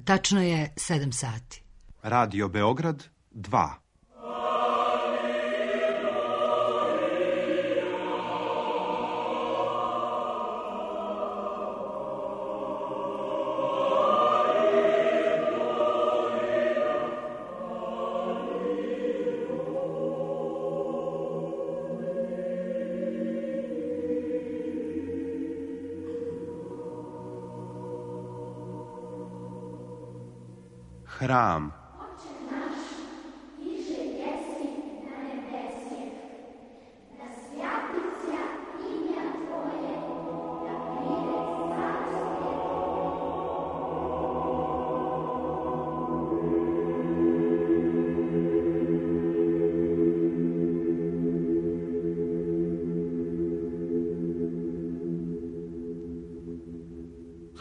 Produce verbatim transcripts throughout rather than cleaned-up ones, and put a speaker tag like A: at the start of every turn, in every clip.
A: Tačno je sedam sati.
B: Radio Beograd dva. Hram.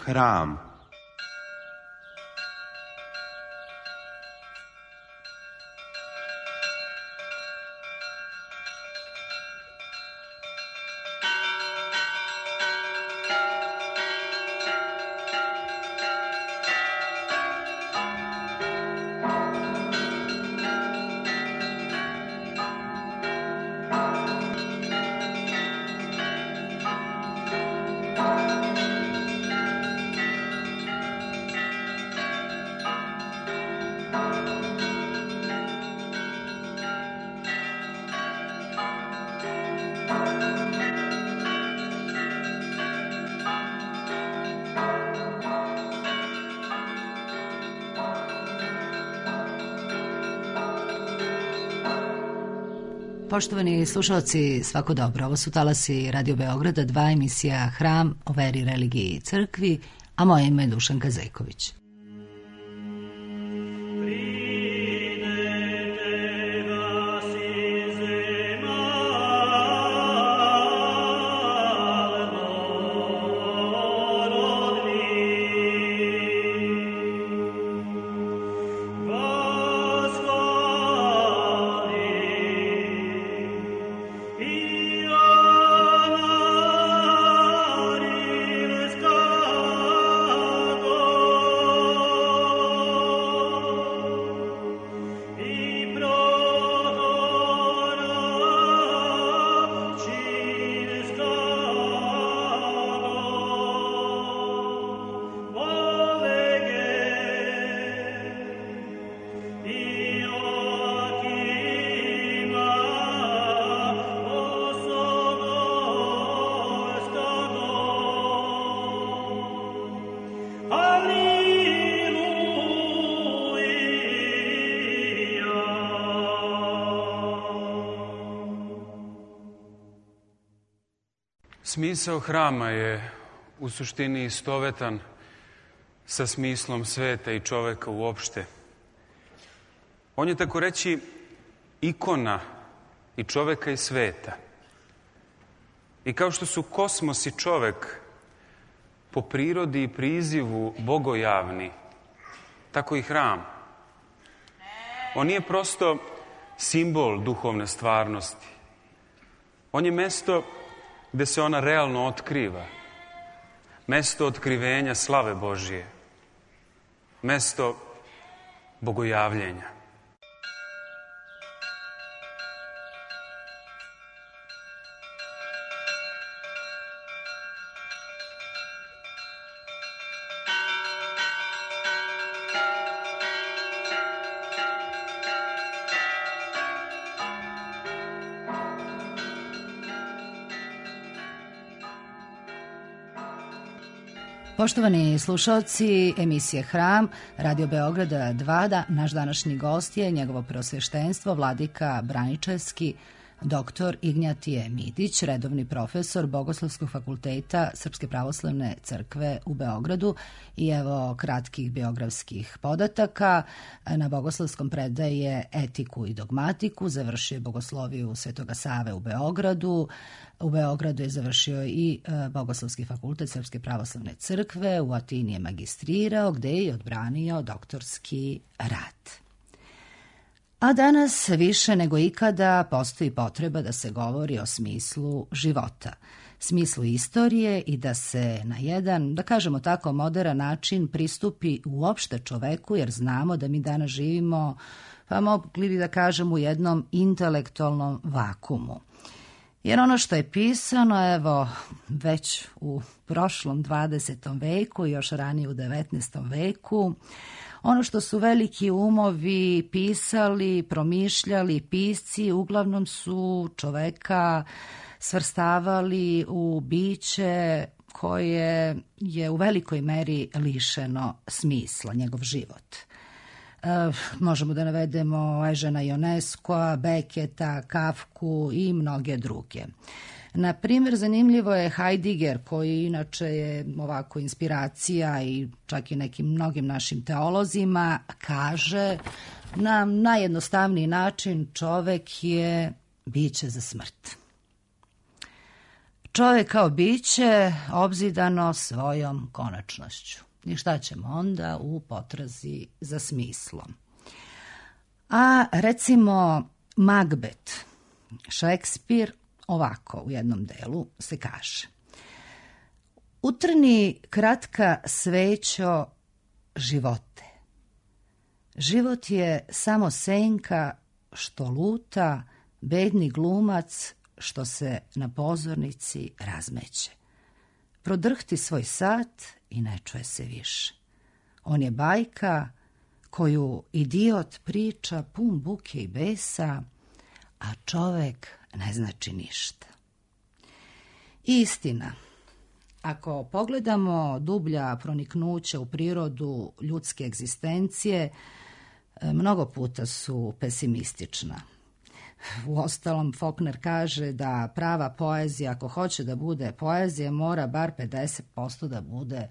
B: Hram.
A: Poštovani slušalci, svako dobro. Ovo su talasi Radio Beograda, dva, emisija Hram o veri, religiji i crkvi, a moje ime je Dušanka Zejković.
C: Smisao hrama je u suštini istovetan sa smislom sveta i čoveka uopšte. On je, tako reći, ikona i čoveka i sveta. I kao što su kosmos i čovek po prirodi i prizivu bogojavni, tako i hram. On nije prosto simbol duhovne stvarnosti. On je mesto gde se ona realno otkriva. Mesto otkrivenja slave Božije. Mesto bogojavljenja.
A: Poštovani slušalci, emisije Hram, Radio Beograda dva, da, naš današnji gost je njegovo preosveštenstvo, vladika Braničevski, doktor Ignjatije Midić, redovni profesor Bogoslovskog fakulteta Srpske pravoslavne crkve u Beogradu. I evo kratkih biografskih podataka. Na Bogoslovskom predaje etiku i dogmatiku, završio je Bogosloviju Svetoga Save u Beogradu. U Beogradu je završio i Bogoslovski fakultet Srpske pravoslavne crkve, u Atini je magistrirao, gde je odbranio doktorski rad. A danas više nego ikada postoji potreba da se govori o smislu života. smislu istorije i da se na jedan, da kažemo tako, moderan način pristupi uopšte čoveku, jer znamo da mi danas živimo, pa mogli bi da kažemo, u jednom intelektualnom vakumu. Jer ono što je pisano, evo, već u prošlom dvadesetom veku, još ranije u devetnaestom veku, ono što su veliki umovi pisali, promišljali, pisci, uglavnom su čoveka svrstavali u biće koje je u velikoj meri lišeno smisla, njegov život. E, možemo da navedemo Eugena Ionescoa, Beketa, Kafku i mnoge druge. Na primjer, zanimljivo je Heidegger, koji inače je ovako inspiracija i čak i nekim mnogim našim teolozima, kaže na najjednostavniji način: čovek je biće za smrt. Čovek kao biće obzidano svojom konačnošću. I šta ćemo onda u potrazi za smislom? A recimo Macbeth, Šekspir, ovako u jednom delu se kaže: utrni kratka svećo živote. Život je samo senka što luta, bedni glumac što se na pozornici razmeće. Prodrhti svoj sat i ne čuje se više. On je bajka koju idiot priča pun buke i besa, a čovek ne znači ništa. Istina, ako pogledamo dublja proniknuća u prirodu ljudske egzistencije, mnogo puta su pesimistična. Uostalom, Faulkner kaže da prava poezija, ako hoće da bude poezija, mora bar pedeset posto da bude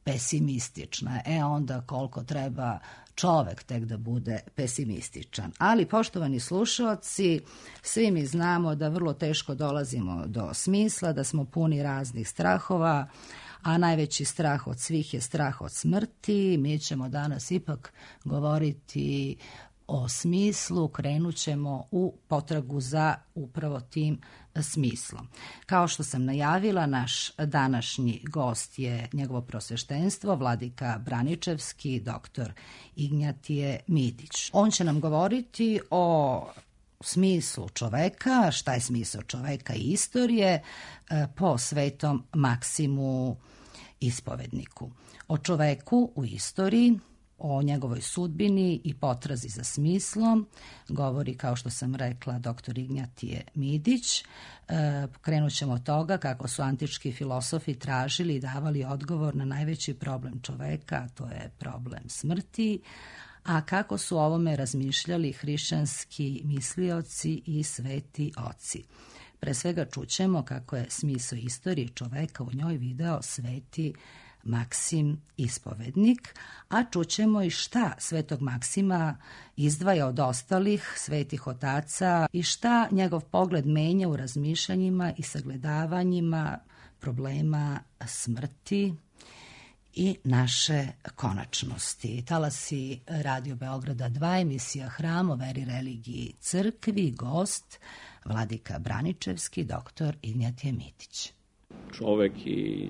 A: pesimistična. E onda koliko treba čovek tek da bude pesimističan. Ali, poštovani slušaoci, svi mi znamo da vrlo teško dolazimo do smisla, da smo puni raznih strahova, a najveći strah od svih je strah od smrti. Mi ćemo danas ipak govoriti o smislu, krenut ćemo u potragu za upravo tim smislom. Kao što sam najavila, naš današnji gost je njegovo prosveštenstvo, vladika Braničevski, doktor Ignjatije Midić. On će nam govoriti o smislu čoveka, šta je smisao čoveka i istorije, po svetom Maksimu Ispovedniku. O čoveku u istoriji, o njegovoj sudbini i potrazi za smislom govori, kao što sam rekla, doktor Ignjatije Midić. E, krenut ćemo od toga kako su antički filosofi tražili i davali odgovor na najveći problem čoveka, a to je problem smrti, a kako su o ovome razmišljali hrišćanski mislioci i sveti oci. Pre svega čućemo kako je smisao istorije čoveka u njoj video sveti Maksim Ispovednik, a čućemo i šta svetog Maksima izdvaja od ostalih svetih otaca i šta njegov pogled menja u razmišljanjima i sagledavanjima problema smrti i naše konačnosti. Talasi Radio Beograda dva, emisija Hram o veri, religiji, crkvi, gost vladika Braničevski, doktor Ignjatije Midić.
D: Čovek i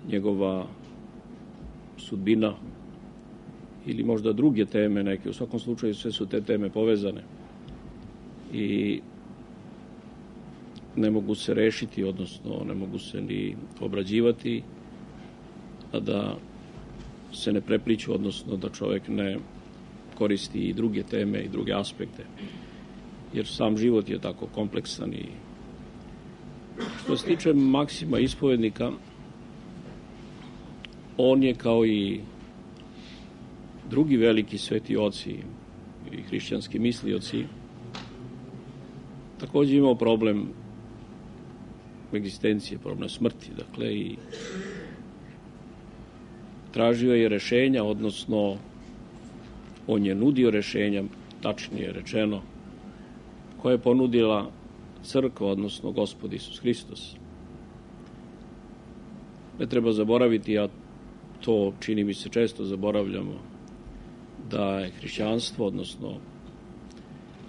D: njegova sudbina ili možda druge teme neke, u svakom slučaju sve su te teme povezane i ne mogu se rešiti, odnosno ne mogu se ni obrađivati, a da se ne prepliču, odnosno da čovek ne koristi i druge teme i druge aspekte, jer sam život je tako kompleksan. I što se tiče Maksima Ispovednika, on je kao i drugi veliki sveti oci i hrišćanski mislioci također imao problem egzistencije, problem smrti, dakle, i tražio je rešenja, odnosno on je nudio rešenja, tačnije rečeno, koje je ponudila crkva, odnosno Gospod Isus Hristos. Ne treba zaboraviti, a to čini mi se često zaboravljamo, da je hrišćanstvo, odnosno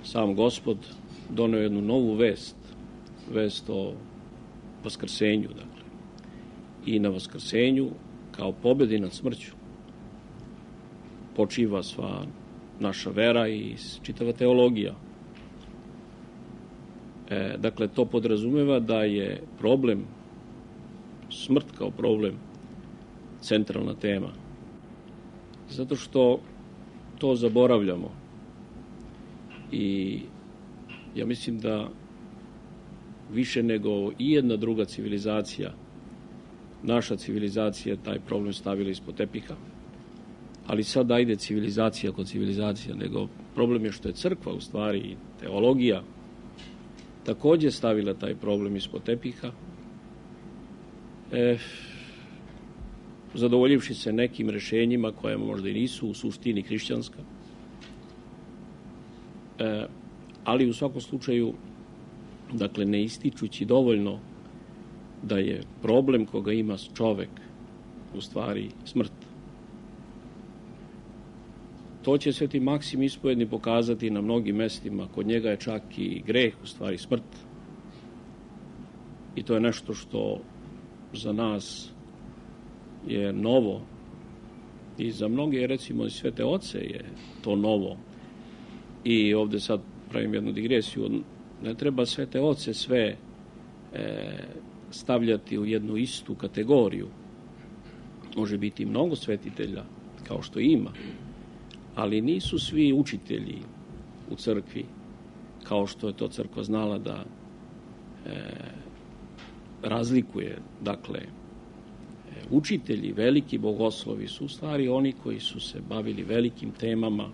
D: sam Gospod, doneo jednu novu vest, vest o vaskrsenju, dakle. I na vaskrsenju, kao pobjedi nad smrću, počiva sva naša vera i čitava teologija. E, dakle, to podrazumeva da je problem, smrt kao problem, centralna tema. Zato što to zaboravljamo. I ja mislim da više nego i jedna druga civilizacija, naša civilizacija je taj problem stavila ispod tepiha. Ali sad ajde civilizacija kod civilizacija, nego problem je što je crkva, u stvari teologija, također stavila taj problem ispod tepiha, e, zadovoljivši se nekim rešenjima koje možda i nisu u suštini hrišćanska. E, ali u svakom slučaju, dakle, ne ističući dovoljno da je problem koga ima čovek u stvari smrt. To će Sveti Maksim Ispovjedni pokazati na mnogim mestima. Kod njega je čak i greh, u stvari smrt. I to je nešto što za nas je novo. I za mnoge, recimo, i svete oce je to novo. I ovde sad pravim jednu digresiju. Ne treba svete oce sve e, stavljati u jednu istu kategoriju. Može biti mnogo svetitelja, kao što ima. Ali nisu svi učitelji u crkvi, kao što je to crkva znala da e, razlikuje. Dakle, e, učitelji, veliki bogoslovi su u stvari oni koji su se bavili velikim temama,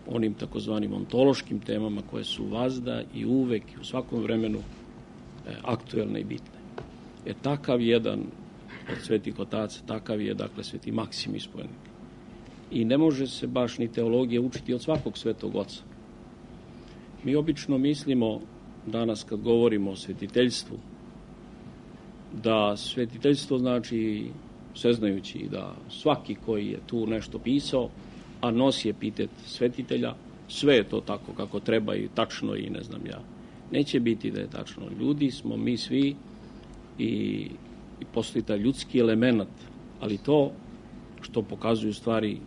D: onim takozvanim ontološkim temama koje su vazda i uvek i u svakom vremenu e, aktuelne i bitne. E takav jedan od svetih otaca, takav je, dakle, Sveti Maksim Ispovjednik. I ne može se baš ni teologija učiti od svakog svetog oca. Mi obično mislimo danas kad govorimo o svetiteljstvu, da svetiteljstvo znači sveznajući da svaki koji je tu nešto pisao, a nosi epitet svetitelja, sve je to tako kako treba i tačno i ne znam ja. Neće biti da je tačno. Ljudi smo mi svi i, i postoji taj ljudski element, ali to što pokazuju stvari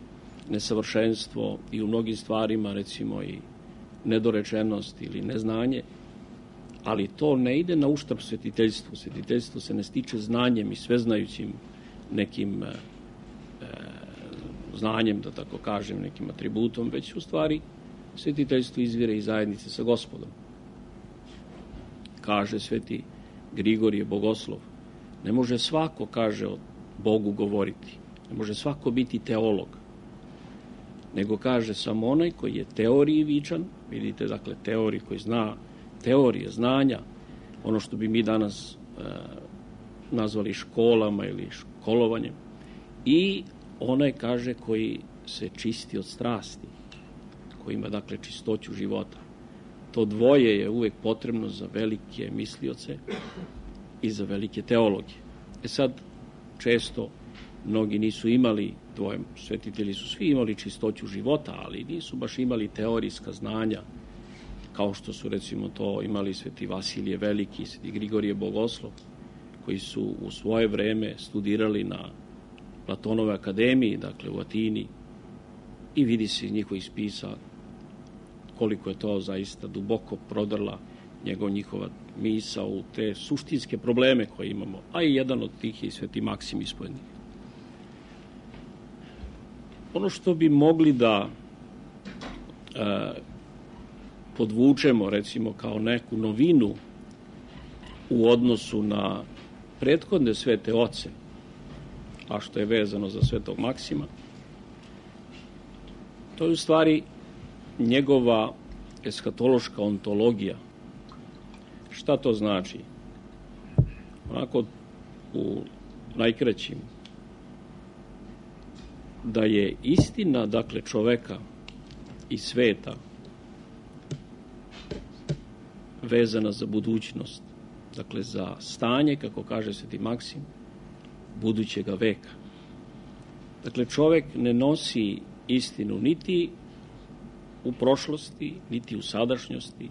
D: nesavršenstvo i u mnogim stvarima, recimo, i nedorečenost ili neznanje, ali to ne ide na uštrb svetiteljstvu. Svetiteljstvo se ne stiče znanjem i sveznajućim nekim e, znanjem, da tako kažem, nekim atributom, već u stvari svetiteljstvo izvire iz zajednice sa Gospodom. Kaže Sveti Grigorije Bogoslov, ne može svako, kaže, o Bogu govoriti, ne može svako biti teolog, nego kaže samo onaj koji je teoriji vičan, vidite, dakle, teoriji koji zna, teorije, znanja, ono što bi mi danas e, nazvali školama ili školovanjem, i onaj, kaže, koji se čisti od strasti, koji ima, dakle, čistoću života. To dvoje je uvek potrebno za velike mislioce i za velike teologe. E sad, često mnogi nisu imali dvoje, svetitelji su svi imali čistoću života, ali nisu baš imali teorijska znanja, kao što su, recimo, to imali Sveti Vasilije Veliki, Sveti Grigorije Bogoslov, koji su u svoje vreme studirali na Platonove akademiji, dakle u Atini, i vidi se iz njihovih spisa koliko je to zaista duboko prodrla njegov, njihova misa u te suštinske probleme koje imamo, a i jedan od tih je i Sveti Maksim Ispovjednik. Ono što bi mogli da e, podvučemo, recimo, kao neku novinu u odnosu na prethodne svete oce, a što je vezano za Svetog Maksima, to je u stvari njegova eskatološka ontologija. Šta to znači? Onako, u najkraćim, da je istina, dakle, čoveka i sveta vezana za budućnost, dakle, za stanje, kako kaže Sveti Maksim, budućega veka. Dakle, čovek ne nosi istinu niti u prošlosti, niti u sadašnjosti,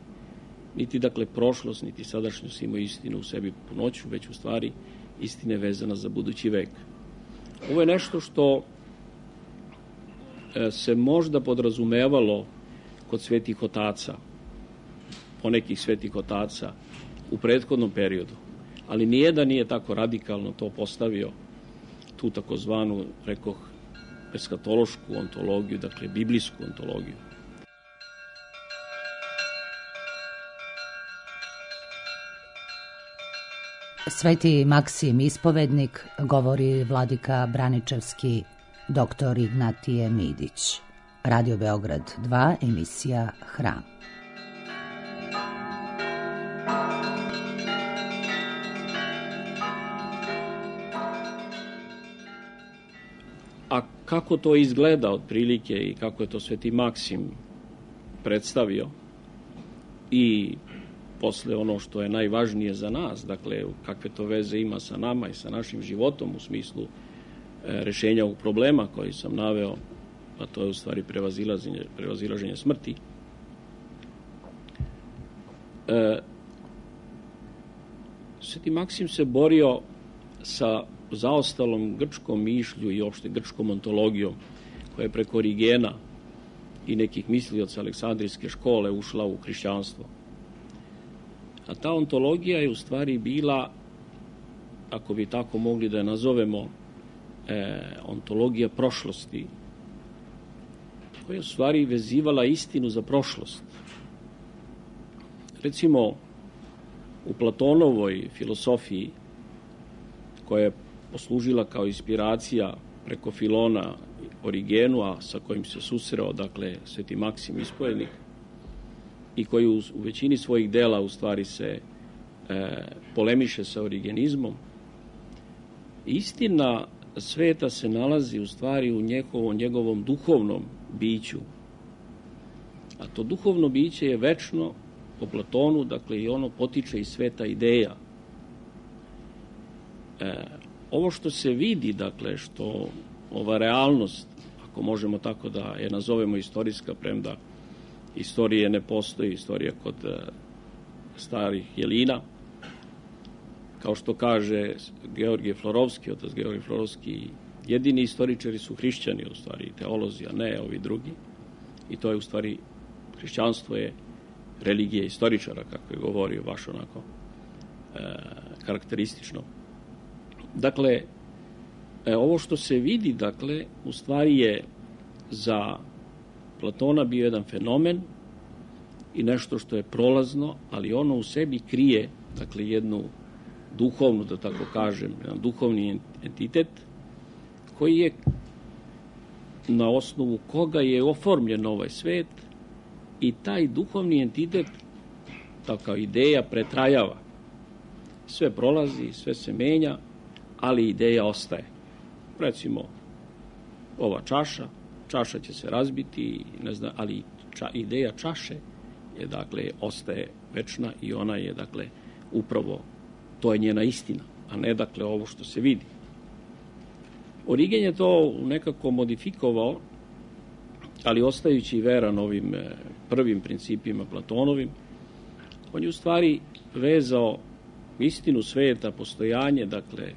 D: niti dakle prošlost, niti sadašnjost imaju istinu u sebi punoću, već u stvari istina je vezana za budući vek. Ovo je nešto što se možda podrazumevalo kod svetih otaca, ponekih svetih otaca u prethodnom periodu, ali nijedan nije tako radikalno to postavio, tu takozvanu, rekoh, eskatološku ontologiju, dakle biblijsku ontologiju.
A: Sveti Maksim Ispovednik, govori vladika Braničevski, doktor Ignatije Midić. Radio Beograd dva, emisija Hram.
D: A kako to izgleda otprilike i kako je to sveti Maksim predstavio i posle ono što je najvažnije za nas, dakle kakve to veze ima sa nama i sa našim životom u smislu e, rešenja ovog problema koji sam naveo, a to je u stvari prevazilaženje, prevazilaženje smrti. E, sveti Maksim se borio sa zaostalom grčkom mišlju i opšte grčkom ontologijom koja je preko Origena i nekih mislioca Aleksandrijske škole ušla u hrišćanstvo. A ta ontologija je u stvari bila, ako bi tako mogli da je nazovemo, e, ontologija prošlosti, koja je u stvari vezivala istinu za prošlost. Recimo, u Platonovoj filosofiji, koja je poslužila kao inspiracija preko Filona Origenu, a sa kojim se susreo, dakle, sveti Maksim Ispovednik, i koji u, u većini svojih dela u stvari se e, polemiše sa origenizmom. Istina sveta se nalazi u stvari u njegovom, njegovom duhovnom biću. A to duhovno biće je večno po Platonu, dakle i ono potiče iz sveta ideja. E, ovo što se vidi, dakle, što ova realnost, ako možemo tako da je nazovemo istorijska, premda istorije ne postoji, istorija kod e, starih jelina, kao što kaže Georgije Florovski, otac Georgije Florovski, jedini istoričari su hrišćani, u stvari teolozi, a ne ovi drugi. I to je u stvari, hrišćanstvo je religija istoričara, kako je govorio baš onako e, karakteristično. Dakle, e, ovo što se vidi, dakle, u stvari je za Platona bio jedan fenomen i nešto što je prolazno, ali ono u sebi krije, dakle, jednu duhovnu, da tako kažem, jedan duhovni entitet koji je na osnovu koga je oformljen ovaj svet i taj duhovni entitet, taka ideja, pretrajava. Sve prolazi, sve se menja, ali ideja ostaje. Recimo, ova čaša, čaša će se razbiti, ne znam, ali ča, ideja čaše je, dakle, ostaje večna i ona je, dakle, upravo, to je njena istina, a ne, dakle, ovo što se vidi. Origen je to nekako modifikovao, ali ostajući veran ovim prvim principima Platonovim, on je u stvari vezao istinu sveta, postojanje, dakle,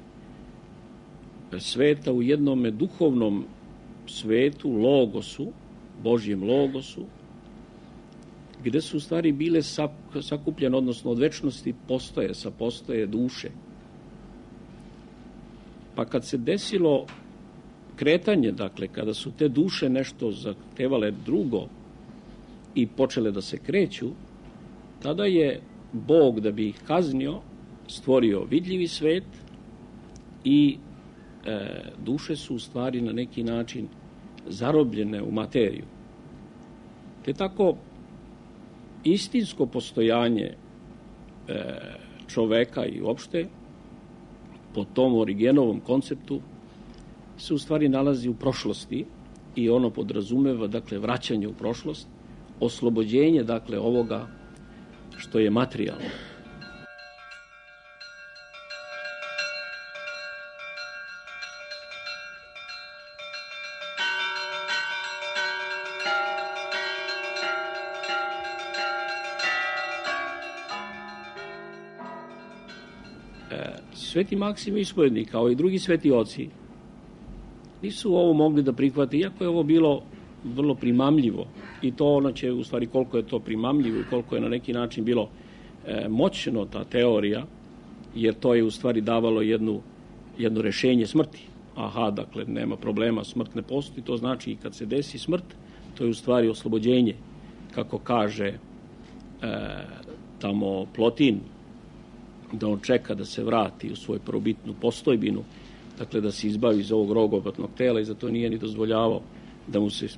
D: sveta u jednome duhovnom svetu, logosu, Božjem logosu, gde su u stvari bile sakupljene, odnosno od večnosti postoje, sapostoje duše. Pa kad se desilo kretanje, dakle, kada su te duše nešto zahtevale drugo i počele da se kreću, tada je Bog, da bi ih kaznio, stvorio vidljivi svet i e, duše su u stvari na neki način zarobljene u materiju. Te tako istinsko postojanje e, čoveka i uopšte po tom Origenovom konceptu se u stvari nalazi u prošlosti i ono podrazumeva, dakle, vraćanje u prošlost, oslobođenje, dakle, ovoga što je materijalno. Sveti Maksim Ispovjednik, kao i drugi sveti oci, nisu ovo mogli da prihvate, iako je ovo bilo vrlo primamljivo. I to ono će, u stvari, koliko je to primamljivo i koliko je na neki način bilo e, moćno ta teorija, jer to je u stvari davalo jednu, jedno rešenje smrti. Aha, dakle, nema problema, smrt ne postoji, to znači i kad se desi smrt, to je u stvari oslobođenje, kako kaže e, tamo Plotin, da on čeka da se vrati u svoju prvobitnu postojbinu, dakle da se izbavi iz ovog rogobatnog tela i zato nije ni dozvoljavao da mu se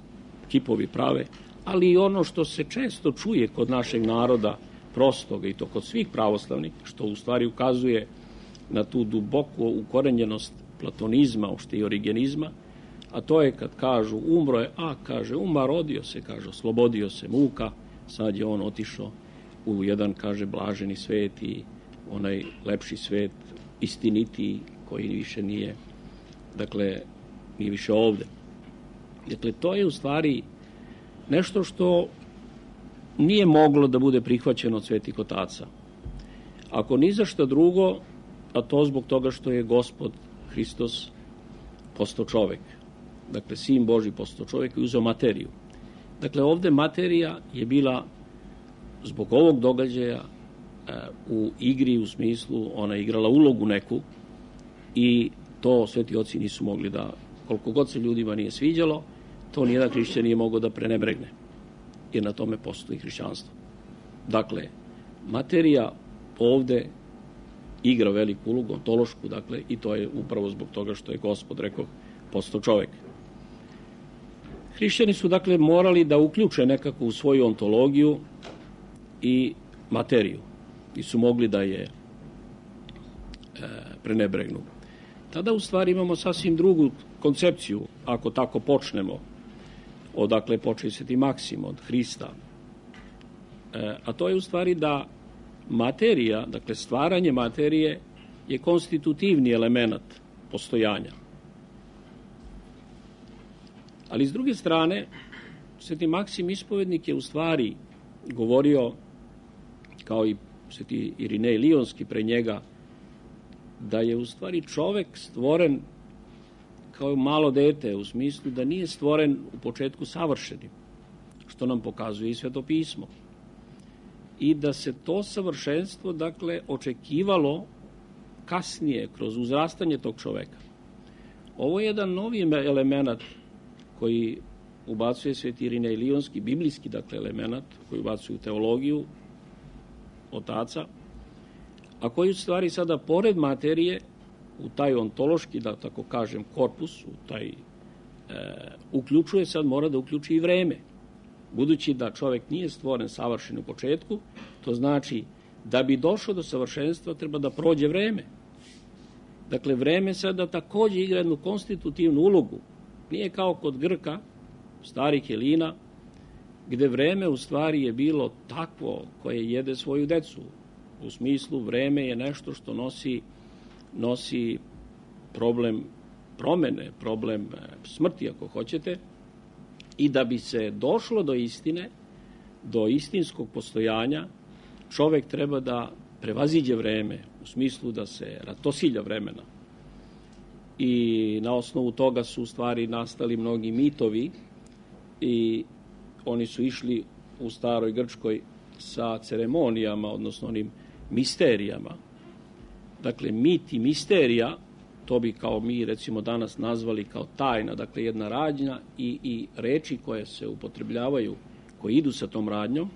D: kipovi prave, ali i ono što se često čuje kod našeg naroda prostoga i to kod svih pravoslavnih, što u stvari ukazuje na tu duboku ukorenjenost platonizma, uopšte i origenizma, a to je kad kažu umro je, a kaže umar, rodio se, kaže oslobodio se muka, sad je on otišao u jedan, kaže, blaženi svet i onaj lepši svet, istinitiji, koji više nije, dakle, nije više ovde. Dakle, to je u stvari nešto što nije moglo da bude prihvaćeno od svetih otaca. Ako ni za šta drugo, a to zbog toga što je Gospod Hristos postao čovek. Dakle, Sin Božji postao čovek i uzeo materiju. Dakle, ovde materija je bila zbog ovog događaja u igri, u smislu, ona je igrala ulogu neku i to sveti oci nisu mogli da, koliko god se ljudima nije sviđalo, to nijedan hrišćan nije mogao da prenebregne, jer na tome postoji hrišćanstvo. Dakle, materija ovde igra veliku ulogu, ontološku, dakle, i to je upravo zbog toga što je Gospod, rekao, postao čovek. Hrišćani su, dakle, morali da uključe nekako u svoju ontologiju i materiju. Nisu mogli da je e, prenebregnu. Tada u stvari imamo sasvim drugu koncepciju, ako tako počnemo, odakle počeo Sveti Maksim, od Hrista. E, a to je u stvari da materija, dakle stvaranje materije, je konstitutivni element postojanja. Ali s druge strane, Sveti Maksim Ispovjednik je u stvari govorio, kao i Sveti Irinej Lionski pre njega, da je u stvari čovek stvoren kao malo dete, u smislu da nije stvoren u početku savršenim, što nam pokazuje i Sveto pismo. I da se to savršenstvo, dakle, očekivalo kasnije, kroz uzrastanje tog čoveka. Ovo je jedan novi element koji ubacuje Sveti Irinej Lionski, biblijski, dakle, element, koji ubacuje u teologiju otaca, a koji u stvari sada, pored materije, u taj ontološki, da tako kažem, korpus, u taj, e, uključuje, sad mora da uključi i vreme. Budući da čovek nije stvoren savršen u početku, to znači da bi došao do savršenstva treba da prođe vreme. Dakle, vreme sada takođe igra jednu konstitutivnu ulogu. Nije kao kod Grka, starih Helina, gde vreme u stvari je bilo takvo koje jede svoju decu. U smislu, vreme je nešto što nosi, nosi problem promene, problem smrti, ako hoćete, i da bi se došlo do istine, do istinskog postojanja, čovek treba da prevaziđe vreme, u smislu da se ratosilja vremena. I na osnovu toga su u stvari nastali mnogi mitovi i oni su išli u staroj Grčkoj sa ceremonijama, odnosno onim misterijama. Dakle, mit i misterija, to bi kao mi recimo danas nazvali kao tajna, dakle jedna radnja i, i reči koje se upotrebljavaju, koje idu sa tom radnjom,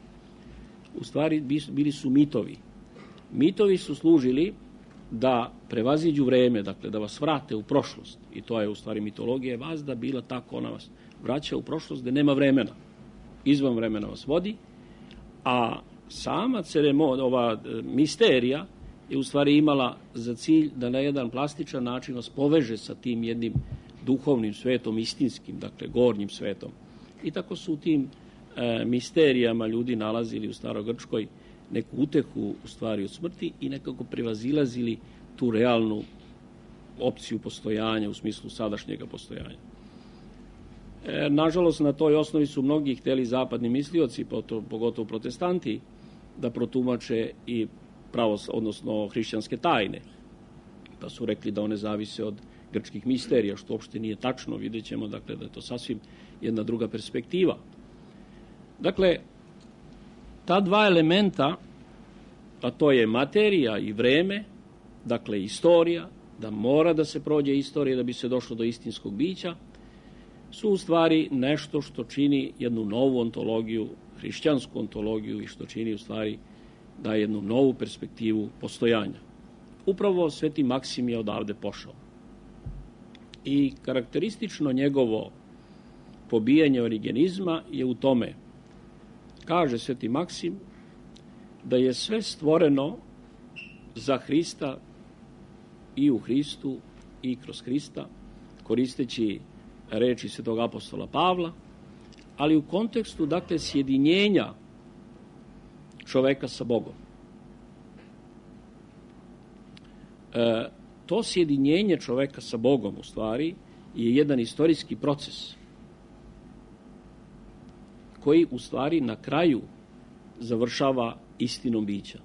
D: u stvari bili su mitovi. Mitovi su služili da prevaziđu vreme, dakle da vas vrate u prošlost. I to je u stvari mitologija vazda bila tako, ona vas vraća u prošlost gde nema vremena. Izvan vremena vas vodi, a sama ceremonija, ova misterija je u stvari imala za cilj da na jedan plastičan način vas poveže sa tim jednim duhovnim svetom, istinskim, dakle gornjim svetom. I tako su u tim e, misterijama ljudi nalazili u Starogrčkoj neku utehu u stvari od smrti i nekako prevazilazili tu realnu opciju postojanja u smislu sadašnjega postojanja. E, nažalost, na toj osnovi su mnogi hteli zapadni mislioci, pogotovo protestanti, da protumače i pravos, odnosno hrišćanske tajne. da su rekli da one zavise od grčkih misterija, što uopšte nije tačno. Vidjet ćemo dakle, da je to sasvim jedna druga perspektiva. Dakle, ta dva elementa, a to je materija i vreme, dakle istorija, da mora da se prođe istorija da bi se došlo do istinskog bića, su u stvari nešto što čini jednu novu ontologiju, hrišćansku ontologiju i što čini u stvari da jednu novu perspektivu postojanja. Upravo Sveti Maksim je odavde pošao. I karakteristično njegovo pobijanje origenizma je u tome, kaže Sveti Maksim, da je sve stvoreno za Hrista i u Hristu i kroz Hrista, koristeći reči svetog apostola Pavla, ali u kontekstu, dakle, sjedinjenja čoveka sa Bogom. E, to sjedinjenje čoveka sa Bogom, u stvari, je jedan istorijski proces koji, u stvari, na kraju završava istinom bića.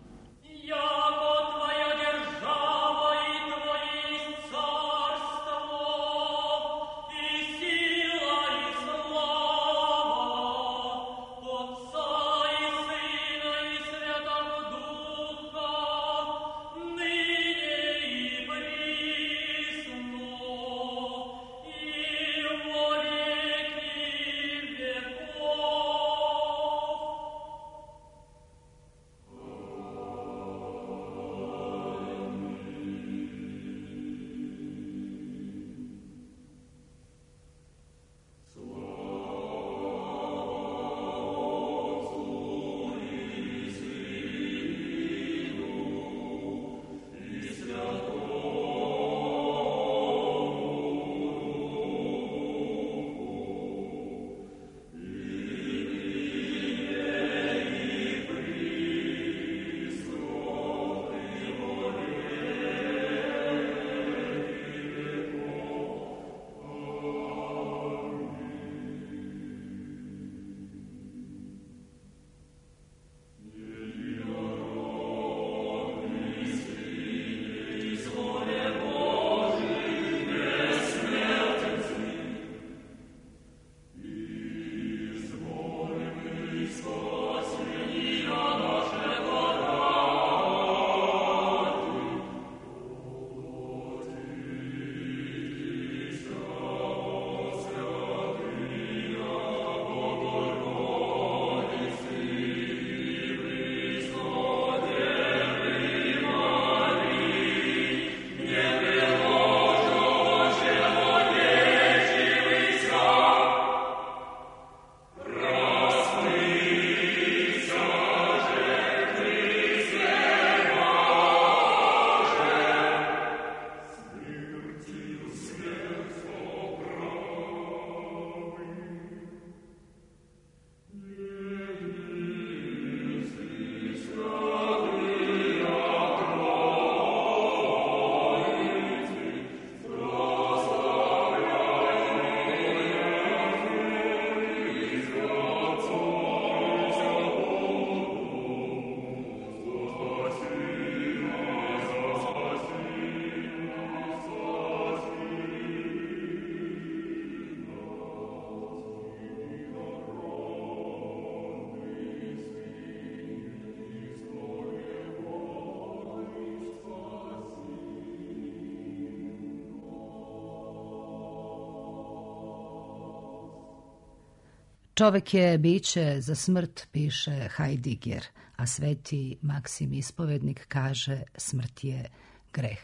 A: Čovek je biće za smrt, piše Heidegger, a Sveti Maksim Ispovednik kaže smrt je greh.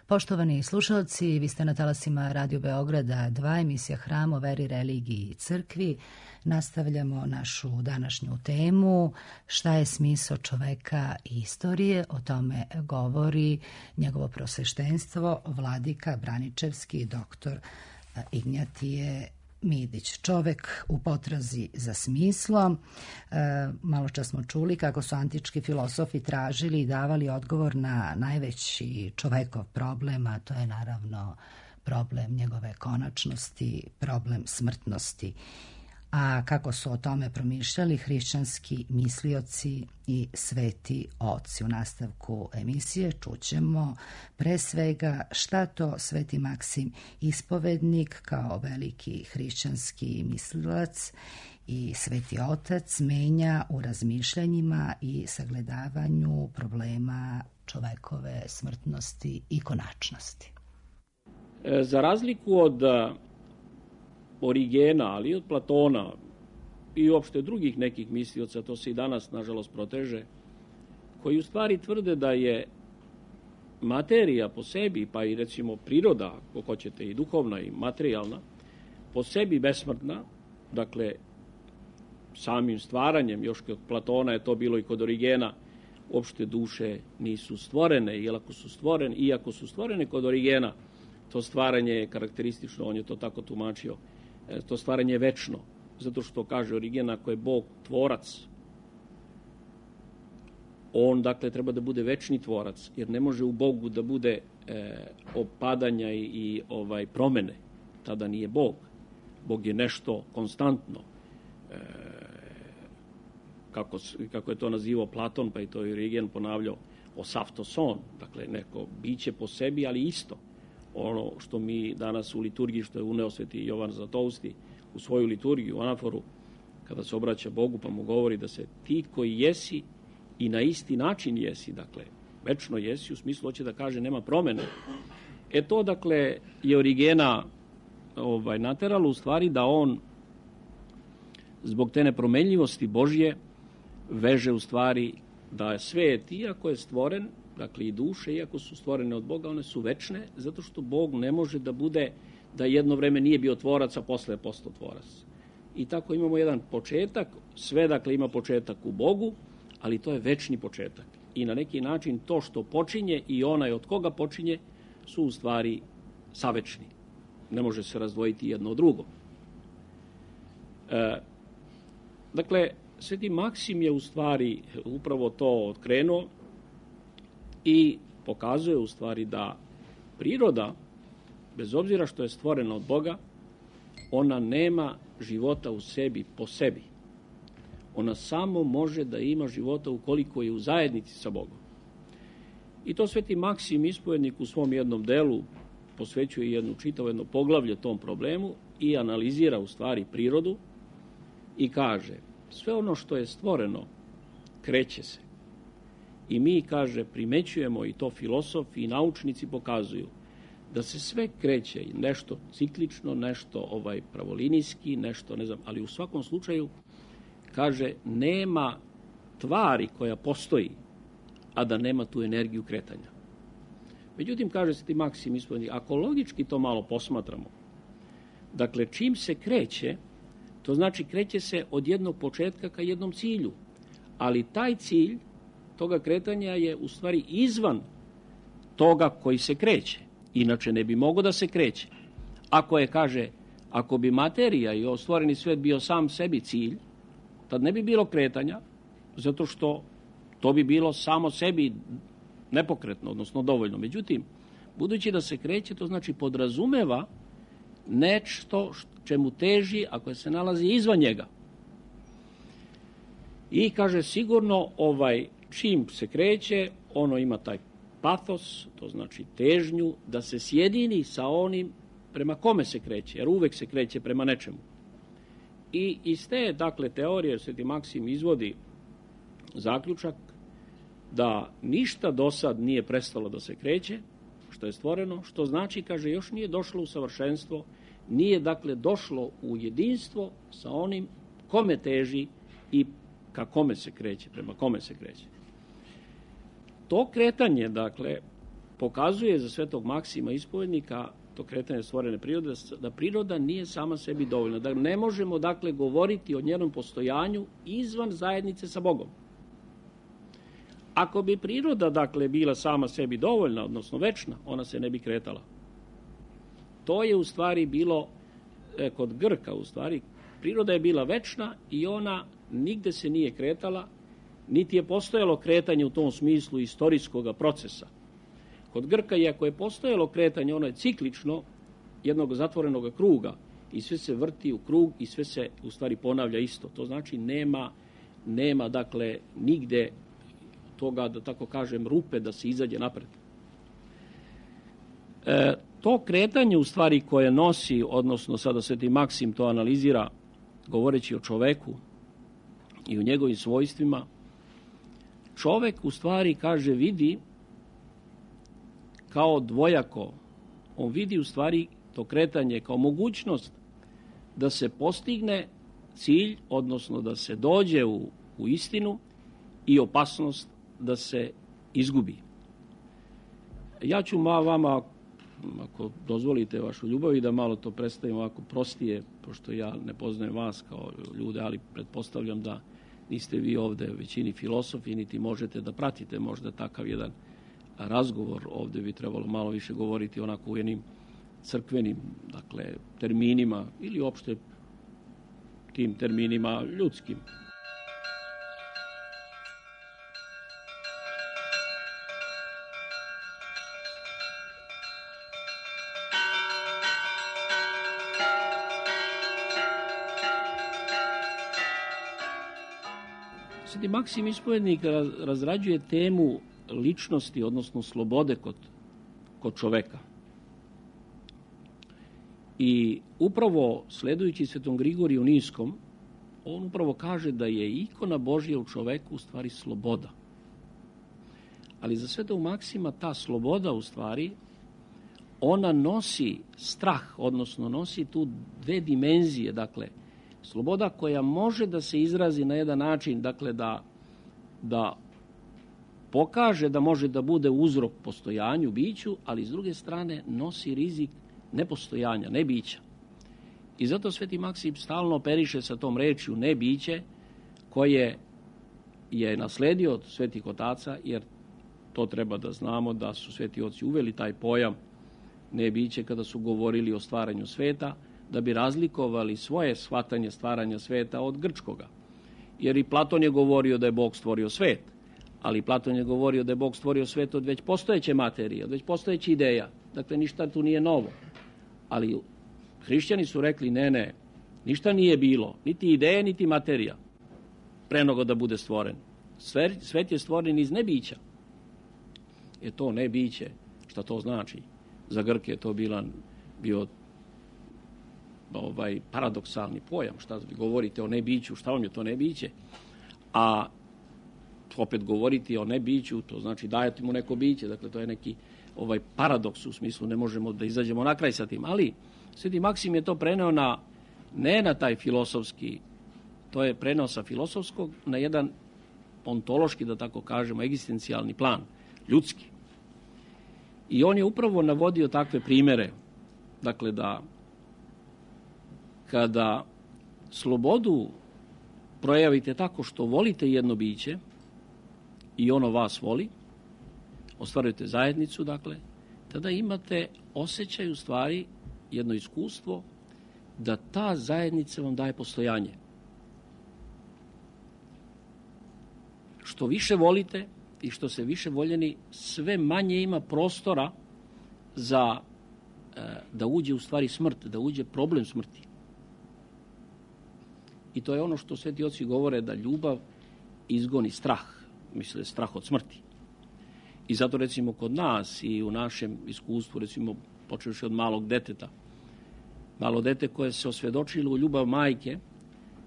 A: Poštovani slušalci, vi ste na talasima Radio Beograda dva, emisija Hram o veri, religiji i crkvi. Nastavljamo našu današnju temu, šta je smisao čoveka i istorije. O tome govori njegovo prosveštenstvo, vladika Braničevski, doktor Ignjatije Midić. Čovek u potrazi za smislom. E, malo čas smo čuli kako su antički filosofi tražili i davali odgovor na najveći čovekov problem, a to je naravno problem njegove konačnosti, problem smrtnosti. A kako su o tome promišljali hrišćanski mislioci i sveti oci? U nastavku emisije čućemo pre svega šta to sveti Maksim Ispovednik kao veliki hrišćanski mislilac i sveti otac menja u razmišljanjima i sagledavanju problema čovekove smrtnosti i konačnosti.
D: Za razliku od Origena, ali i od Platona i uopšte drugih nekih mislioca, to se i danas nažalost proteže, koji u stvari tvrde da je materija po sebi, pa i recimo priroda, ako hoćete i duhovna i materijalna, po sebi besmrtna, dakle samim stvaranjem, još kod Platona je to bilo i kod Origena, uopšte duše nisu stvorene, iako su stvorene, iako su stvorene kod Origena, to stvaranje je karakteristično, on je to tako tumačio, to stvaranje je večno, zato što kaže Origen, ako je Bog tvorac, on dakle treba da bude večni tvorac, jer ne može u Bogu da bude e, opadanja i, i ovaj promene, tada nije Bog. Bog je nešto konstantno, e, kako, kako je to nazivao Platon, pa i to je Origen ponavljao, osaftoson, dakle neko biće po sebi, ali isto. Ono što mi danas u liturgiji, što je uneo sveti Jovan Zlatousti u svoju liturgiju, u anaforu, kada se obraća Bogu pa mu govori da se ti koji jesi i na isti način jesi, dakle, večno jesi, u smislu hoće da kaže nema promene. E to, dakle, je Origena ovaj, nateralo u stvari da on zbog te nepromenljivosti Božje veže u stvari da je svet, iako je stvoren, dakle i duše, iako su stvorene od Boga, one su večne, zato što Bog ne može da bude, da jedno vreme nije bio tvorac, a posle je postao tvorac. I tako imamo jedan početak, sve dakle ima početak u Bogu, ali to je večni početak. I na neki način to što počinje i onaj od koga počinje su u stvari savečni. Ne može se razdvojiti jedno od drugo. E, dakle, sveti Maksim je u stvari upravo to otkrenuo i pokazuje u stvari da priroda, bez obzira što je stvorena od Boga, ona nema života u sebi po sebi. Ona samo može da ima života ukoliko je u zajednici sa Bogom. I to sveti Maksim Ispovednik u svom jednom delu posvećuje jednu čitavo jedno poglavlje tom problemu i analizira u stvari prirodu i kaže, sve ono što je stvoreno kreće se. I mi, kaže, primećujemo, i to filosofi i naučnici pokazuju, da se sve kreće, nešto ciklično, nešto ovaj pravolinijski, nešto, ne znam, ali u svakom slučaju, kaže, nema tvari koja postoji, a da nema tu energiju kretanja. Međutim, kaže sveti Maksim Ispovednik, ako logički to malo posmatramo, dakle, čim se kreće, to znači kreće se od jednog početka ka jednom cilju, ali taj cilj toga kretanja je u stvari izvan toga koji se kreće. Inače ne bi mogao da se kreće. Ako je, kaže, ako bi materija i stvoreni svet bio sam sebi cilj, tad ne bi bilo kretanja, zato što to bi bilo samo sebi nepokretno, odnosno dovoljno. Međutim, budući da se kreće, to znači podrazumeva nešto čemu teži ako se nalazi izvan njega. I kaže, sigurno ovaj čim se kreće, ono ima taj patos, to znači težnju, da se sjedini sa onim prema kome se kreće, jer uvek se kreće prema nečemu. I iz te, dakle, teorije sveti Maksim izvodi zaključak da ništa do sad nije prestalo da se kreće, što je stvoreno, što znači, kaže, još nije došlo u savršenstvo, nije, dakle, došlo u jedinstvo sa onim kome teži i ka kome se kreće, prema kome se kreće. To kretanje, dakle, pokazuje za svetog Maksima Ispovednika, to kretanje stvorene prirode, da priroda nije sama sebi dovoljna. Da ne možemo, dakle, govoriti o njenom postojanju izvan zajednice sa Bogom. Ako bi priroda, dakle, bila sama sebi dovoljna, odnosno večna, ona se ne bi kretala. To je u stvari bilo e, kod Grka, u stvari, priroda je bila večna i ona nigde se nije kretala, niti je postojalo kretanje u tom smislu istorijskog procesa. Kod Grka, iako je postojalo kretanje, ono je ciklično jednog zatvorenog kruga i sve se vrti u krug i sve se u stvari ponavlja isto. To znači nema, nema dakle nigde toga, da tako kažem, rupe da se izađe napred. E, to kretanje u stvari koje nosi, odnosno sada Sveti Maksim to analizira govoreći o čoveku i o njegovim svojstvima, čovek u stvari, kaže, vidi kao dvojako. On vidi u stvari to kretanje kao mogućnost da se postigne cilj, odnosno da se dođe u, u istinu, i opasnost da se izgubi. Ja ću ma vama, ako dozvolite vašu ljubav, i da malo to predstavim ovako prostije, pošto ja ne poznajem vas kao ljude, ali pretpostavljam da niste vi ovde većini filosofi, niti možete da pratite možda takav jedan razgovor. Ovde bi trebalo malo više govoriti onako u jednim crkvenim, dakle, terminima ili uopšte tim terminima ljudskim. Sveti Maksim Ispovednik razrađuje temu ličnosti, odnosno slobode kod, kod čoveka. I upravo sledujući Svetom Grigoriju Niskom, on upravo kaže da je ikona Božja u čoveku u stvari sloboda. Ali za Svetog Maksima ta sloboda u stvari, ona nosi strah, odnosno nosi tu dve dimenzije, dakle, sloboda koja može da se izrazi na jedan način, dakle, da, da pokaže da može da bude uzrok postojanju, biću, ali s druge strane nosi rizik nepostojanja, nebića. I zato Sveti Maksim stalno operiše sa tom rečju nebiće, koje je nasledio od svetih otaca, jer to treba da znamo da su sveti oci uveli taj pojam nebiće kada su govorili o stvaranju sveta, da bi razlikovali svoje shvatanje stvaranja sveta od grčkoga. Jer i Platon je govorio da je Bog stvorio svet, ali Platon je govorio da je Bog stvorio svet od već postojeće materije, od već postojeće ideja. Dakle, ništa tu nije novo. Ali hrišćani su rekli, ne, ne, ništa nije bilo, niti ideje, niti materija, pre nego da bude stvoren. Svet je stvoren iz nebića. Je to nebiće, šta to znači? Za Grke je to bila, bio ovaj paradoksalni pojam, šta vi govorite o nebiću, šta vam je to nebiće, a opet govoriti o nebiću, to znači dajete mu neko biće, dakle to je neki ovaj paradoks, u smislu ne možemo da izađemo na kraj sa tim, ali Sveti Maksim je to preneo na, ne na taj filosofski, to je preneo sa filosofskog na jedan ontološki, da tako kažemo, egzistencijalni plan, ljudski. I on je upravo navodio takve primere, dakle da kada slobodu projavite tako što volite jedno biće i ono vas voli, ostvarujete zajednicu, dakle, tada imate osjećaj, u stvari, jedno iskustvo da ta zajednica vam daje postojanje. Što više volite i što se više voljeni, sve manje ima prostora za e, da uđe u stvari smrt, da uđe problem smrti. I to je ono što sveti oci govore, da ljubav izgoni strah, misle strah od smrti. I zato recimo kod nas i u našem iskustvu, recimo počevši od malog deteta, malo dete koje se osvjedočilo u ljubav majke,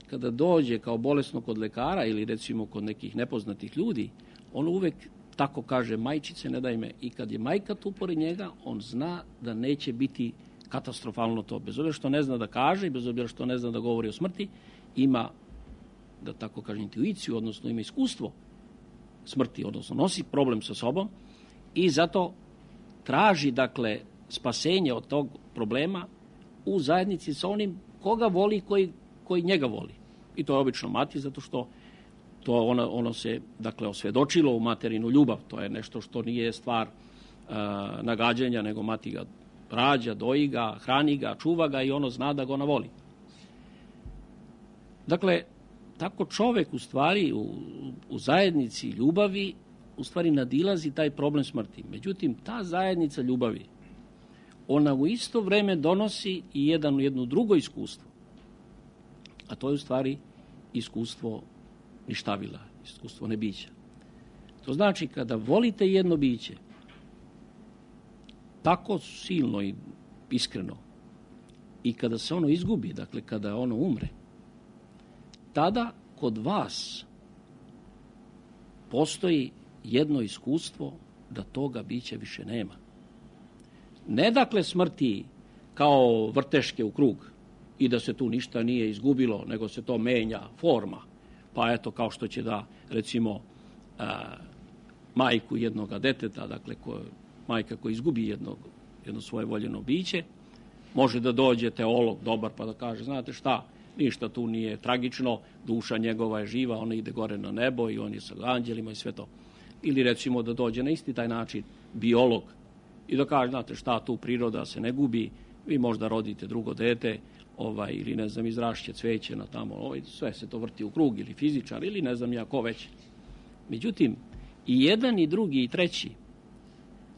D: kada dođe kao bolesno kod lekara ili recimo kod nekih nepoznatih ljudi, ono uvek tako kaže, majčice ne daj me. I kad je majka tu pored njega, on zna da neće biti katastrofalno to. Bez obzira što ne zna da kaže i bez obzira što ne zna da govori o smrti, ima, da tako kažem, intuiciju, odnosno ima iskustvo smrti, odnosno nosi problem sa sobom i zato traži, dakle, spasenje od tog problema u zajednici sa onim koga voli, koji, koji njega voli. I to je obično mati, zato što to ono, ono se, dakle, osvjedočilo u materinu ljubav. To je nešto što nije stvar uh, nagađanja, nego mati ga rađa, doji ga, hrani ga, čuva ga i ono zna da ga ona voli. Dakle, tako čovek u stvari u, u zajednici ljubavi u stvari nadilazi taj problem smrti. Međutim, ta zajednica ljubavi ona u isto vreme donosi i jedan, jedno drugo iskustvo. A to je u stvari iskustvo ništavila, iskustvo nebića. To znači kada volite jedno biće, tako silno i iskreno, i kada se ono izgubi, dakle kada ono umre, tada kod vas postoji jedno iskustvo da toga bića više nema. Ne dakle smrti kao vrteške u krug i da se tu ništa nije izgubilo, nego se to menja forma. Pa eto, kao što će da, recimo, a, majku jednoga deteta, dakle ko, majka koja izgubi jednog, jedno svoje voljeno biće, može da dođe teolog dobar pa da kaže, znate šta, ništa tu nije tragično, duša njegova je živa, ona ide gore na nebo i on je sa anđelima i sve to. Ili recimo da dođe na isti taj način biolog i da kaže, znate šta, tu priroda se ne gubi, vi možda rodite drugo dete, ovaj, ili ne znam, izrašće cveće na tamo, ovaj, sve se to vrti u krug, ili fizičar, ili ne znam ja ko već. Međutim, i jedan i drugi i treći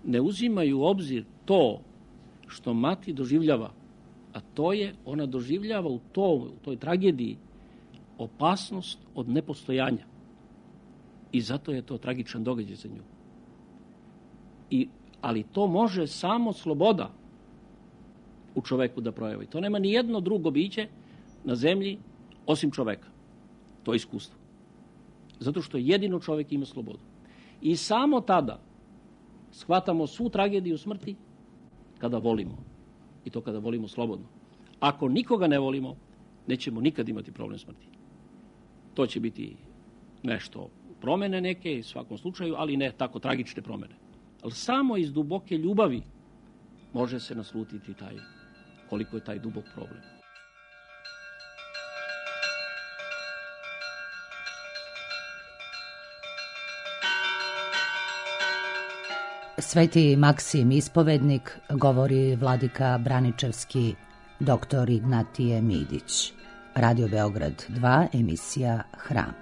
D: ne uzimaju u obzir to što mati doživljava, a to je, ona doživljava u, to, u toj tragediji opasnost od nepostojanja. I zato je to tragičan događaj za nju. I, ali to može samo sloboda u čoveku da projavi. To nema ni jedno drugo biće na zemlji osim čoveka. To je iskustvo. Zato što jedino čovek ima slobodu. I samo tada shvatamo svu tragediju smrti kada volimo. I to kada volimo slobodno. Ako nikoga ne volimo, nećemo nikad imati problem smrti. To će biti nešto promene neke, u svakom slučaju, ali ne tako tragične promene. Ali samo iz duboke ljubavi može se naslutiti taj, koliko je taj dubok problem.
A: Sveti Maksim ispovednik, govori vladika Braničevski, doktor Ignatije Midić. Radio Beograd dva, emisija Hram.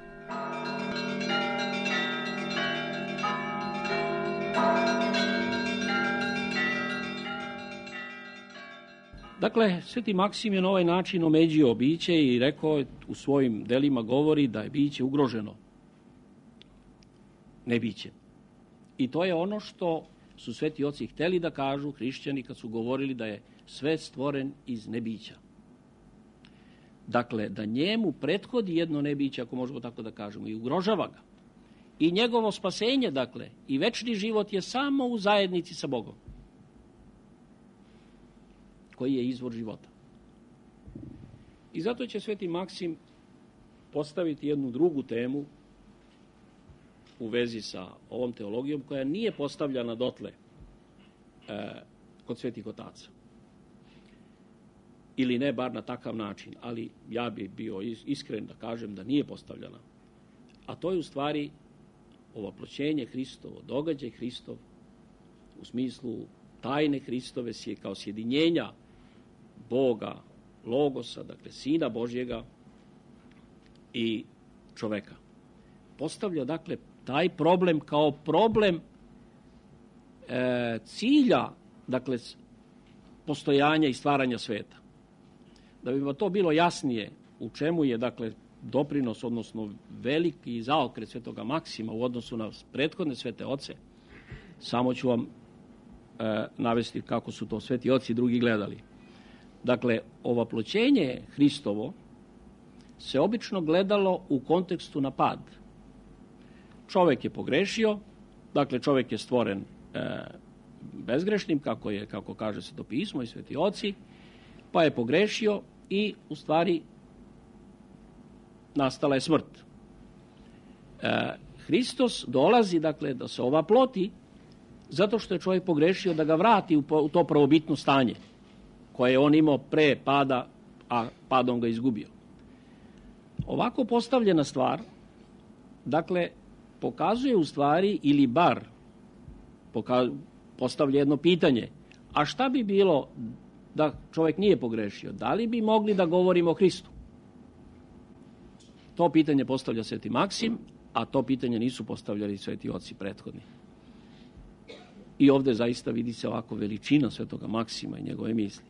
D: Dakle, Sveti Maksim je na ovaj način omeđio biće i rekao, u svojim delima govori da je biće ugroženo nebićem. I to je ono što su sveti oci hteli da kažu hrišćani kad su govorili da je svet stvoren iz nebića. Dakle, da njemu prethodi jedno nebiće, ako možemo tako da kažemo, i ugrožava ga. I njegovo spasenje, dakle, i večni život je samo u zajednici sa Bogom, koji je izvor života. I zato će Sveti Maksim postaviti jednu drugu temu u vezi sa ovom teologijom, koja nije postavljana dotle e, kod svetih otaca. Ili ne bar na takav način, ali ja bi bio iskren da kažem da nije postavljana. A to je u stvari ovoploćenje Hristovo, događaj Hristov, u smislu tajne Hristove kao sjedinjenja Boga, Logosa, dakle Sina Božjega i čoveka. Postavlja, dakle, taj problem kao problem e, cilja, dakle, postojanja i stvaranja sveta. Da bi to bilo jasnije u čemu je, dakle, doprinos, odnosno veliki zaokret Svetoga Maksima u odnosu na prethodne svete oce, samo ću vam e, navesti kako su to sveti oci drugi gledali. Dakle, ovoploćenje Hristovo se obično gledalo u kontekstu na pad. Čovek je pogrešio, dakle čovek je stvoren e, bezgrešnim, kako je, kako kaže Sveto pismo i sveti oci, pa je pogrešio i u stvari nastala je smrt. E, Hristos dolazi, dakle, da se ovaploti zato što je čovjek pogrešio, da ga vrati u, u to prvobitno stanje koje je on imao pre pada, a padom ga izgubio. Ovako postavljena stvar, dakle, pokazuje u stvari, ili bar poka- postavlja jedno pitanje, a šta bi bilo da čovjek nije pogrešio? Da li bi mogli da govorimo o Hristu? To pitanje postavlja Sveti Maksim, a to pitanje nisu postavljali sveti oci prethodni. I ovdje zaista vidi se ovako veličina svetoga Maksima i njegove misli.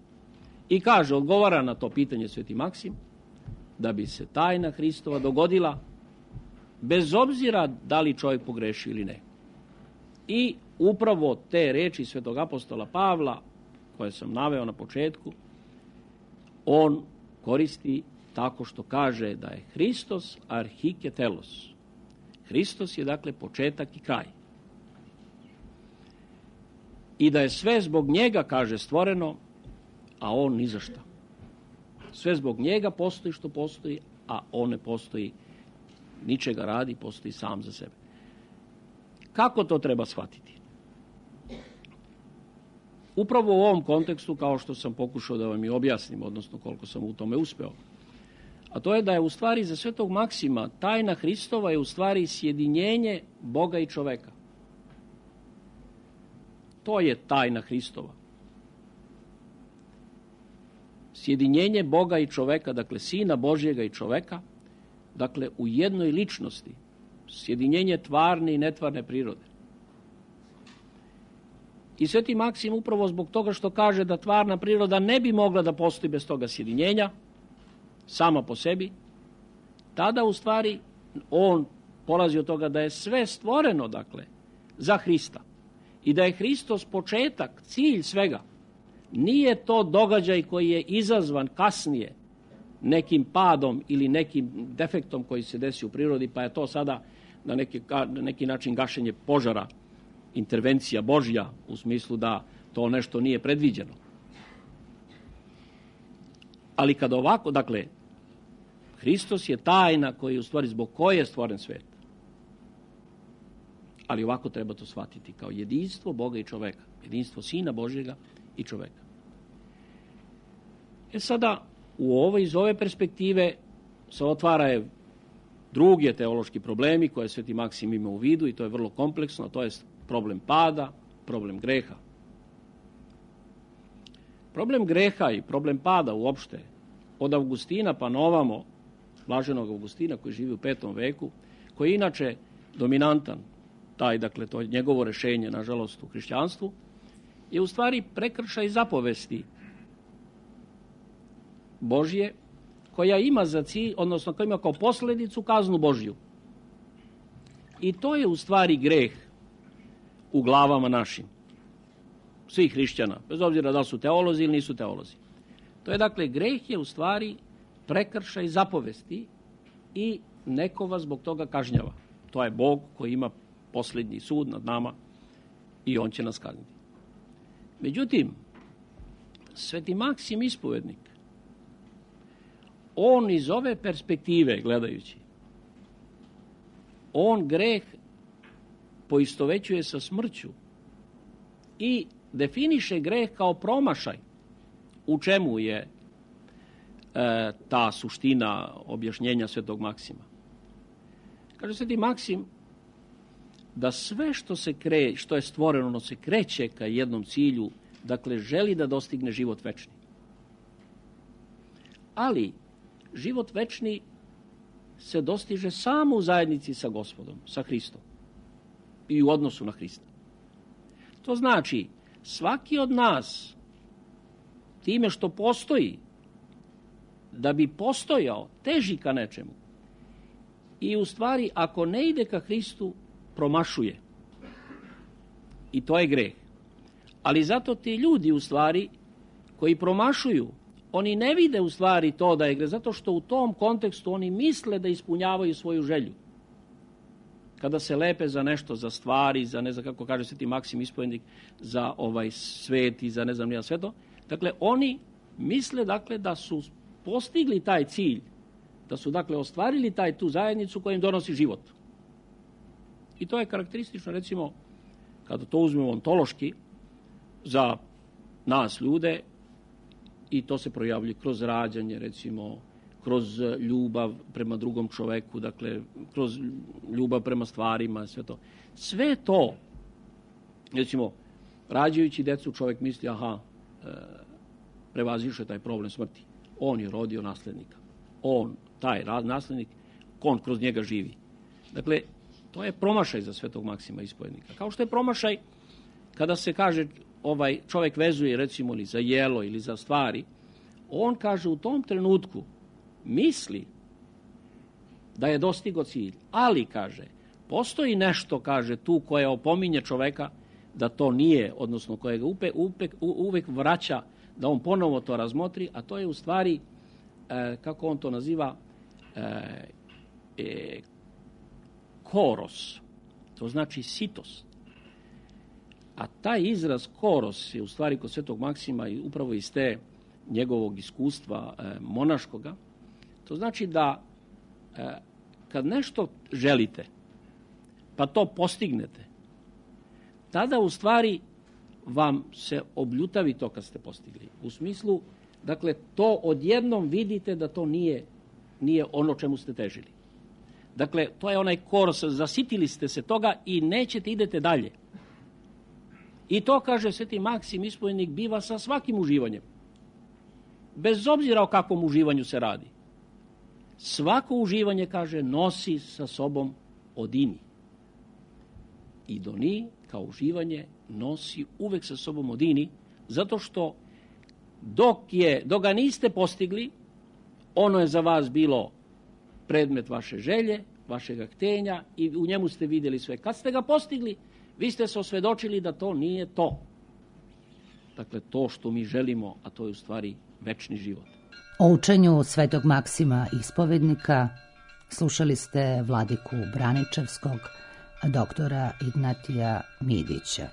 D: I kaže, odgovara na to pitanje sveti Maksim, da bi se tajna Hristova dogodila bez obzira da li čovjek pogreši ili ne. I upravo te reči svetog apostola Pavla, koje sam naveo na početku, on koristi tako što kaže da je Hristos arhike telos. Hristos je dakle početak i kraj. I da je sve zbog njega, kaže, stvoreno, a on ni za šta. Sve zbog njega postoji što postoji, a on ne postoji, ničega radi, postoji sam za sebe. Kako to treba shvatiti? Upravo u ovom kontekstu, kao što sam pokušao da vam i objasnim, odnosno koliko sam u tome uspeo, a to je da je u stvari za svetog Maksima tajna Hristova je u stvari sjedinjenje Boga i čoveka. To je tajna Hristova. Sjedinjenje Boga i čoveka, dakle Sina Božjega i čoveka, dakle u jednoj ličnosti. Sjedinjenje tvarne i netvarne prirode. I sveti Maksim upravo zbog toga što kaže da tvarna priroda ne bi mogla da postoji bez toga sjedinjenja, sama po sebi, tada u stvari on polazi od toga da je sve stvoreno, dakle, za Hrista. I da je Hristos početak, cilj svega. Nije to događaj koji je izazvan kasnije nekim padom ili nekim defektom koji se desi u prirodi, pa je to sada na neki, na neki način gašenje požara, intervencija Božja, u smislu da to nešto nije predviđeno. Ali kad ovako, dakle, Hristos je tajna koji u stvari zbog koje je stvoren svet. Ali ovako treba to shvatiti kao jedinstvo Boga i čoveka. Jedinstvo Sina Božjega i čoveka. E sada, u ovoj, iz ove perspektive se otvaraju drugi teološki problemi koje sveti Maksim ima u vidu i to je vrlo kompleksno, to je problem pada, problem greha. Problem greha i problem pada uopšte, od Augustina pa na ovamo, blaženog Augustina koji živi u petom veku, koji je inače dominantan, taj, dakle, to je njegovo rešenje, nažalost, u hrišćanstvu, je u stvari prekršaj zapovesti Božje, koja ima za cilj, odnosno koja ima kao posljedicu kaznu Božju. I to je u stvari greh u glavama našim, svih hrišćana, bez obzira da li su teolozi ili nisu teolozi. To je, dakle, greh je u stvari prekršaj zapovesti i neko vas zbog toga kažnjava. To je Bog koji ima posljednji sud nad nama i on će nas kazniti. Međutim, sveti Maksim ispovednik, on iz ove perspektive gledajući, on greh poistovećuje sa smrću i definiše greh kao promašaj. U čemu je e, ta suština objašnjenja svetog Maksima? Kaže sveti Maksim da sve što se kre, što je stvoreno, ono se kreće ka jednom cilju, dakle želi da dostigne život večni. Ali život večni se dostiže samo u zajednici sa Gospodom, sa Hristom i u odnosu na Hrista. To znači, svaki od nas time što postoji, da bi postojao, teži ka nečemu. I u stvari, ako ne ide ka Hristu, promašuje. I to je greh. Ali zato ti ljudi u stvari koji promašuju, oni ne vide u stvari to da je greh, zato što u tom kontekstu oni misle da ispunjavaju svoju želju. Kada se lepe za nešto, za stvari, za ne znam kako kaže sveti Maksim ispovednik, za ovaj svet i za ne znam nija sve to. Dakle, oni misle dakle da su postigli taj cilj, da su dakle ostvarili taj tu zajednicu koja im donosi život. I to je karakteristično, recimo, kada to uzmemo ontološki, za nas ljude, i to se projavljuje kroz rađanje, recimo, kroz ljubav prema drugom čoveku, dakle, kroz ljubav prema stvarima, sve to. Sve to, recimo, rađajući decu, čovjek misli, aha, e, prevazišao je taj problem smrti. On je rodio naslednika. On, taj naslednik, on kroz njega živi. Dakle, to je promašaj za svetog Maksima ispovednika. Kao što je promašaj kada se kaže ovaj čovjek vezuje recimo ili za jelo ili za stvari, on kaže u tom trenutku misli da je dostigao cilj, ali kaže postoji nešto, kaže tu koje opominje čovjeka da to nije, odnosno koje ga upe, upe, uvek vraća da on ponovo to razmotri, a to je u stvari, e, kako on to naziva, e, e, koros, to znači sitost. A taj izraz koros je u stvari kod Svetog Maksima i upravo iz te njegovog iskustva e, monaškoga. To znači da e, kad nešto želite, pa to postignete, tada u stvari vam se obljutavi to kad ste postigli. U smislu, dakle, to odjednom vidite da to nije, nije ono čemu ste težili. Dakle, to je onaj koros, zasitili ste se toga i nećete, idete dalje. I to, kaže Sveti Maksim ispovednik, biva sa svakim uživanjem. Bez obzira o kakvom uživanju se radi. Svako uživanje, kaže, nosi sa sobom odini. I doni, kao uživanje, nosi uvek sa sobom odini, zato što dok, je, dok ga niste postigli, ono je za vas bilo predmet vaše želje, vašeg htenja i u njemu ste vidjeli sve. Kad ste ga postigli, vi ste se osvedočili da to nije to. Dakle, to što mi želimo, a to je u stvari večni život.
A: O učenju Svetog Maksima ispovednika slušali ste vladiku Braničevskog, doktora Ignatija Midića.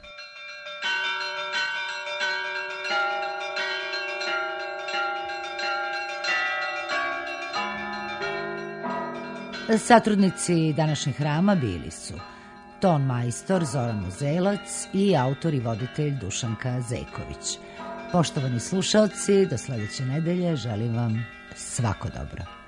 A: Satrudnici današnjeg hrama bili su ton majstor Zoran Uzelac i autor i voditelj Dušanka Zejković. Poštovani slušalci, do sledeće nedelje želim vam svako dobro.